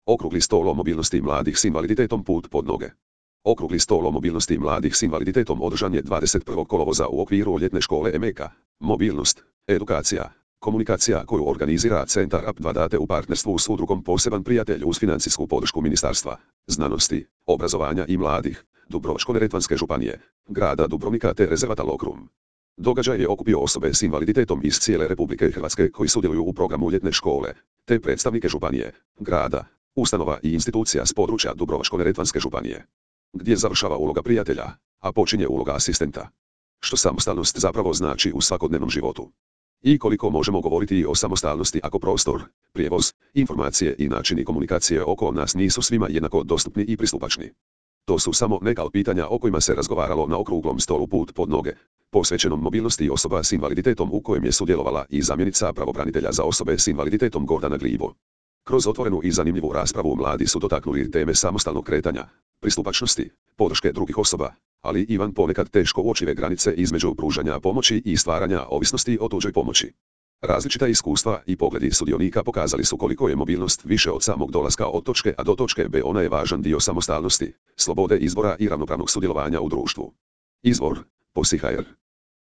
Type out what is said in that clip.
Okrugli stol o mobilnosti mladih s invaliditetom put pod noge. Okrugli stol o mobilnosti mladih s invaliditetom održan je 21. kolovoza u okviru ljetne škole EMEKA. Mobilnost, edukacija, komunikacija koju organizira Centar AP2 Date u partnerstvu s udrugom Poseban prijatelj uz financijsku podršku Ministarstva znanosti, obrazovanja i mladih, Dubrovačko-neretvanske županije, grada Dubrovnika te rezervata Lokrum. Događaj je okupio osobe s invaliditetom iz cijele Republike Hrvatske koji sudjeluju u programu ljetne škole, te predstavnike županije, grada, ustanova i institucija s područja Dubrovačko-neretvanske županije. Gdje završava uloga prijatelja, a počinje uloga asistenta. Što samostalnost zapravo znači u svakodnevnom životu? I koliko možemo govoriti o samostalnosti ako prostor, prijevoz, informacije i načini komunikacije oko nas nisu svima jednako dostupni i pristupačni? To su samo neka od pitanja o kojima se razgovaralo na okruglom stolu put pod noge, posvećenom mobilnosti osoba s invaliditetom u kojem je sudjelovala i zamjenica pravobranitelja za osobe s invaliditetom Gordana Glibo. Kroz otvorenu i zanimljivu raspravu mladi su dotaknuli teme samostalnog kretanja, pristupačnosti, podrške drugih osoba, ali i van ponekad teško uočive granice između pružanja pomoći i stvaranja ovisnosti o tuđoj pomoći. Različita iskustva i pogledi sudionika pokazali su koliko je mobilnost više od samog dolaska od točke A do točke B, ona je važan dio samostalnosti, slobode izbora i ravnopravnog sudjelovanja u društvu. Izvor: POSI.hr